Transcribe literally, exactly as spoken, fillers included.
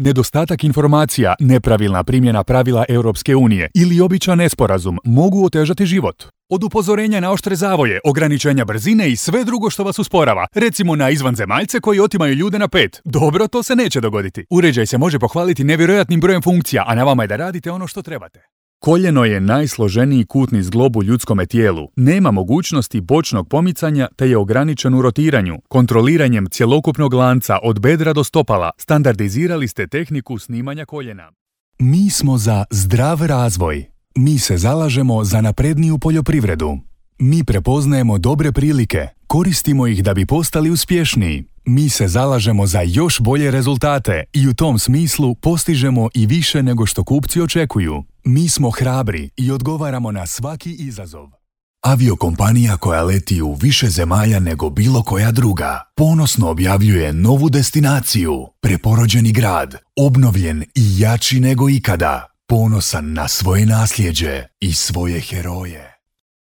Nedostatak informacija, nepravilna primjena pravila Europske unije ili običan nesporazum mogu otežati život. Od upozorenja na oštre zavoje, ograničenja brzine i sve drugo što vas usporava. Recimo na izvanzemaljce koji otimaju ljude na pet. Dobro, to se neće dogoditi. Uređaj se može pohvaliti nevjerojatnim brojem funkcija, a na vama je da radite ono što trebate. Koljeno je najsloženiji kutni zglob u ljudskome tijelu. Nema mogućnosti bočnog pomicanja te je ograničen u rotiranju. Kontroliranjem cjelokupnog lanca od bedra do stopala standardizirali ste tehniku snimanja koljena. Mi smo za zdrav razvoj. Mi se zalažemo za napredniju poljoprivredu. Mi prepoznajemo dobre prilike, koristimo ih da bi postali uspješniji. Mi se zalažemo za još bolje rezultate i u tom smislu postižemo i više nego što kupci očekuju. Mi smo hrabri i odgovaramo na svaki izazov. Aviokompanija koja leti u više zemalja nego bilo koja druga ponosno objavljuje novu destinaciju, preporođeni grad, obnovljen i jači nego ikada, ponosan na svoje nasljeđe i svoje heroje.